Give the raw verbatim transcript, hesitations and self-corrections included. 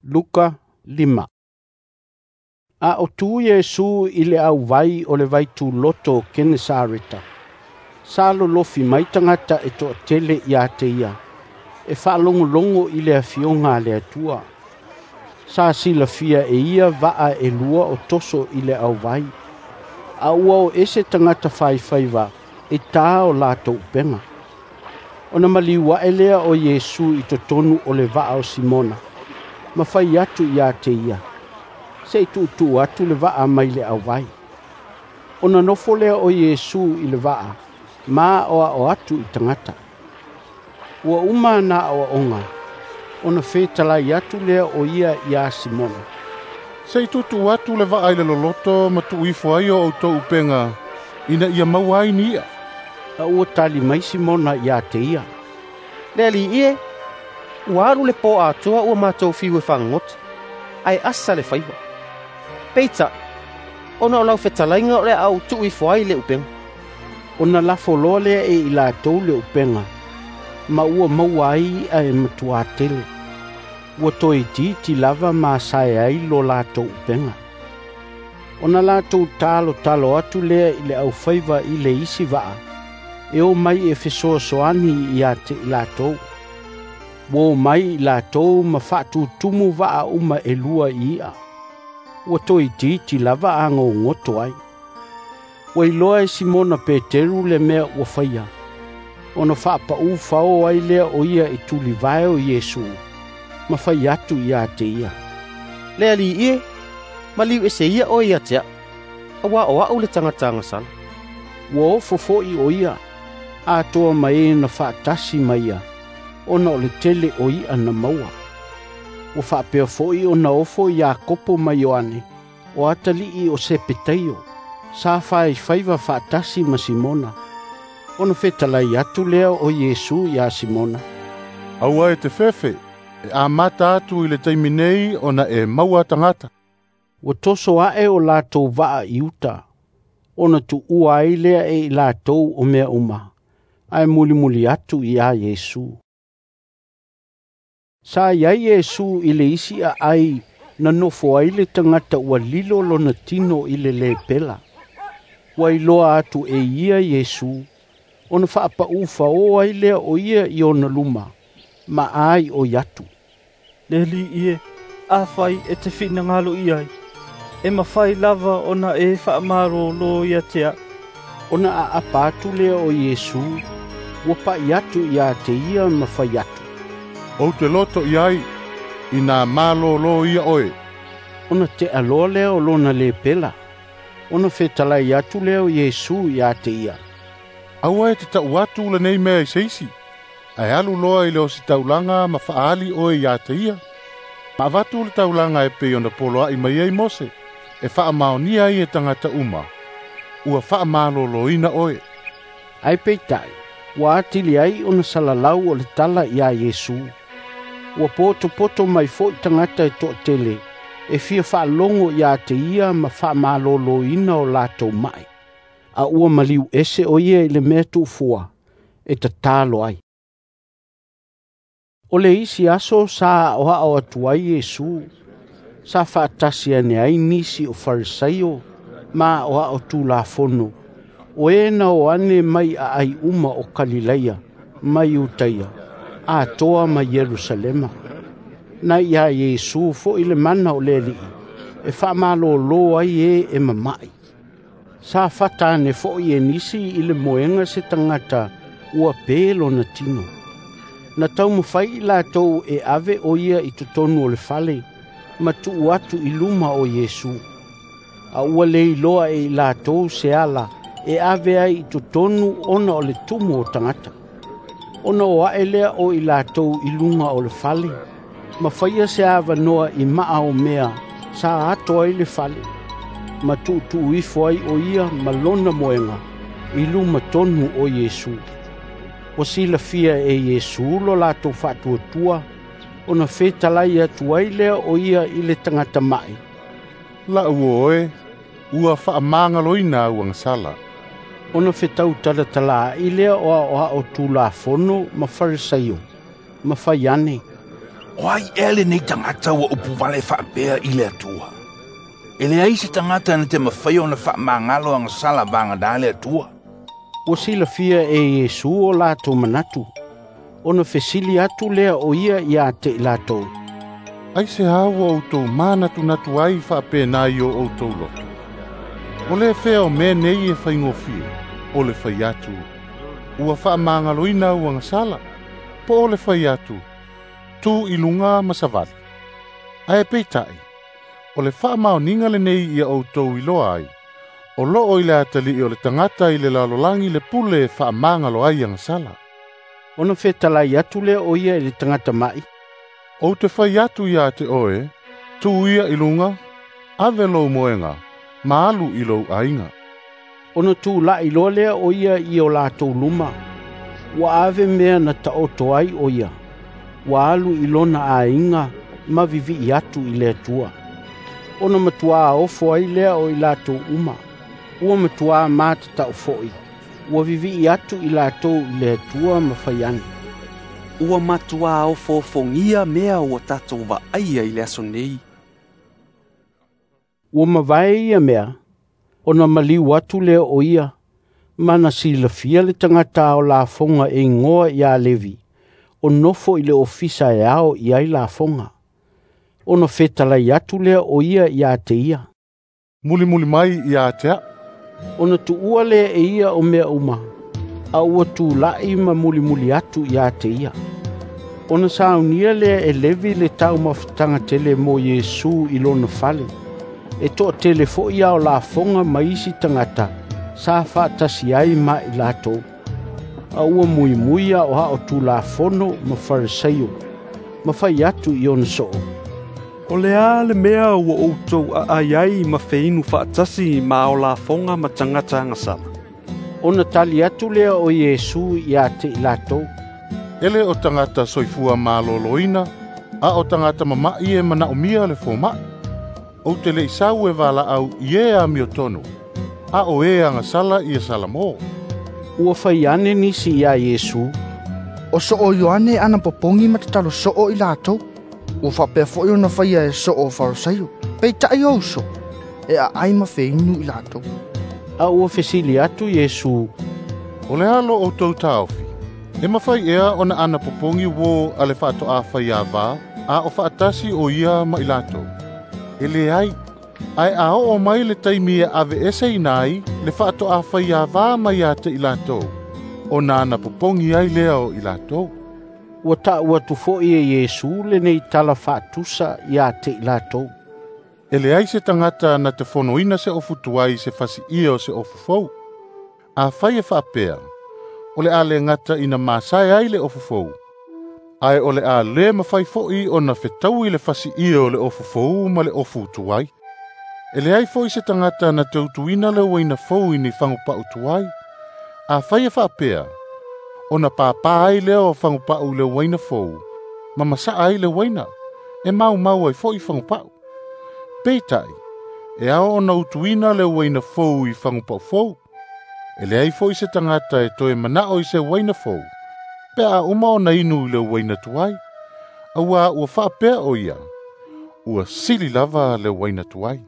Luka lima. A o tu Iesu i le auvai o le vaituloto o Kenesareta, sa lolofi mai tagata e toatele ia te ia e faalogologo i le Afioga a le Atua. Sa silafia e ia vaa e lua o toso i le auvai, a ua o ese tagata faifaiva e ta o latou upega. Ona maliu ae lea o Iesu i totonu o le vaa o Simona ma fai atu ia te ia, se i tuutuu atu le vaa mai le auvai. Ona nofo lea o Iesu i le vaa ma aoao atu i tagata. Ua uma ana aoaoga, ona fetalai atu lea o ia ia Simona, "Se i tuutuu atu le vaa i le loloto ma tuu ifo ai o outou upega ina ia maua ai ni i'a." A ua tali mai Simona ia te ia, "Le Alii e, ua alu le po atoa ua matou fiu e fagogota, ae asa le faiva. Peitai, ona o lau fetalaiga o le a ou tuu ifo ai le upega." Ona lafo loa lea e i latou le upega, ma ua maua ai i'a e matuā tele. Ua toeitiiti lava masae ai lo latou upega. Ona latou talotalo atu lea i le aufaiva i le isi vaa, e o mai e fesoasoani ia te i latou. Ua o mai i latou ma faatutumu vaa uma e lua i i'a. Ua toeitiiti lava a gogoto ai. Ua iloa e Simona Peteru le mea ua faia, ona faapau fao ai lea o ia i tulivae o Iesu, ma fai atu ia te ia, "Le Alii e, maliu ese ia oe ia te a'u, auā o a'u le tagata agasala." Ua ofo foi o ia, atoa ma e na faatasi ma ia, ona o le tele o i'a na maua. Ua faapea foi ona ofo Iakopo ma Ioane, o atalii o Sepetaio, sa faifaiva faatasi ma Simona. Ona fetalai atu lea o Iesu ia Simona, "Aua e te fefe, e amata atu i le taimi nei ona e maua tagata." Ua toso ae o latou vaa i uta, ona tuua ai lea e i latou o mea uma, ae mulimuli atu ia Iesu. Sa iai Iesu i le isi aai na nofo ai le tagata ua lilo lona tino i le lepela. Ua iloa atu e ia Iesu, ona faapau fao ai lea o ia i ona luma, ma ai oi atu, "Le Alii e, afai e te finagalo i ai, e mafai lava ona e faamalōlō ia te a'u." Ona aapa atu lea o Iesu, ua pai atu ia te ia ma fai atu, "Ou te loto i ai, ina malōlō ia oe." Ona tea loa lea o lona lepela. Ona fetalai atu lea o Iesu ia te ia, "Aua e te ta'u atu lenei mea i se isi, ae alu loa i le ositaulaga ma faaali oe ia te ia. Ma avatu le taulaga e pei ona poloa'i mai ai Mose, e faamaonia ai e tagata uma, ua faamalōlōina oe." Ae peitai, ua atili ai ona salalau o le tala ia Iesu. Ua potopoto mai foi tagata e toatele, e fia faalogo ia te ia ma faamalōlōina o latou mai. A ua maliu ese o ia i le mea tuufua, e tatalo ai. O le isi aso sa aoao atu ai Iesu, sa faatasi ane ai nisi o Farisaio ma aoao Tulafono, o e na o ane mai aai uma o Kalilaia ma Iutaia, atoa ma Ierusalema. Na ia Iesu foi le mana o le Alii, e faamalōlō ai e e mama'i. Sa fata ane foi e nisi i le moega se tagata ua pe lona tino. Na taumafai i latou e ave o ia i totonu o le fale, ma tuu atu i luma o Iesu. A ua le iloa e i latou se ala e ave ai i totonu ona o le tumu o tagata. Ona o ae lea o i latou i luga o le fale, ma faia se avanoa i maa o mea sa ato ai le fale, ma tuutuu ifo ai o ia ma lona moega i luma tonu o Iesu. Ua silafia e Iesu lo latou faatuatua, ona fetalai atu ai lea o ia i le tagata mai, "La'u uo e, ua faamagaloina au agasala." Ona fetau talatalaai lea o aoao Tulafono ma Farisaio, ma fai ane, O ai ea lenei tagata ua upu vale faapea i le Atua? E leai se tagata na te mafaia ona faamagalo agasala vagana le Atua. Ua silafia e Iesu o latou manatu, ona fesili atu lea o ia ia te i latou, Aisea ua outou manatunatu ai faapena i o outou loto? O le fea o mea nei e faigofie, o le fai atu, ua faamagaloina au agasala, po o le fai atu, tu i luga ma savali. Ae peitai, o le faamaoniga lenei ia outou iloa ai, o loo i le atalii o le tagata i le lalolagi le pule e faamagalo ai agasala. Ona fetalai atu lea o ia i le tagata mai, Ou te fai atu ia te oe, tu ia i luga, ave lou moega, ma alu i lou aiga. Ona tula'i loa lea o ia i o latou luma, ua ave mea na taoto ai o ia, ua alu i lona aiga ma vivii atu i le Atua. Ona matuā ofo ai lea o i latou uma, ua matuā matatau foi, ua vivii atu i latou i le Atua ma fai ane, Ua matuā ofoofogia mea ua tatou vaaia i le aso nei. Ua mavae ia mea, ona maliu atu lea o ia, ma na silafia le tagata ao lafoga e igoa ia Levi, o nofo i le ofisa e ao i ai lafoga. Ona fetalai atu lea o ia ia te ia, Mulimuli mai ia te au. Ona tuua lea e ia o mea uma, a ua tula'i ma mulimuli atu ia te ia. Ona saunia lea e Levi le taumafataga tele mo Iesu i lona fale, e toatele foi ao lafoga ma isi tagata sa faatasi ai ma i latou. A ua muimui aoao Tulafono ma Farisaio, ma fai atu i ona soo, O le a le mea ua outou aai ai ma feinu faatasi ma ao lafoga ma tagata agasala. Ona tali atu lea o Iesu ia te i latou, E le o tagata soifua maloloina, a o tagata mama'i e manaomia le foma'i. Ou te le i sau e valaau i e amiotonu, a o e agasala ia salamo. Ua fai ane nisi ia Iesu, O soo Ioane ana popogi ma tatalo soo i latou, ua faapea foi ona faia e soo o Farisaio, peitai o uso, e aai ma feinu i latou. A ua fesili atu Iesu, O le a lo outou taofi, e mafai ea ona ana popogi uō a le faatoafai avā, a o faatasi o ia ma i latou. E leai, ae a oo mai le taimi e aveeseina ai le faatoafai avā mai ia te i latou, ona ana popogi ai lea o i latou. Ua taʻu atu foi e Iesu lenei tala faatusa ia te i latou, E leai se tagata na te fonoina se ofu tuai i se fasiia o se ofu fou. Afai e faapea, o le a le gata ina masae ai le ofu fou, ae o le a le mafai foi ona fetaui le fasiia o le ofu fou ma le ofu tuai. E leai foi se tagata na te utuina le uaina fou i ni fagupau tuai. Afai e faapea, ona pāpā ai lea o fagupau i le uaina fou, ma masaa ai le uaina, e maumau ai foi fagupau. Peitai, e ao ona utuina le uaina fou i fagupau fou. E leai foi se tagata e toe manao i se uaina fou, pe a uma ona inu i le uaina tuai, auā ua faapea o ia, ua sili lava le uaina tuai.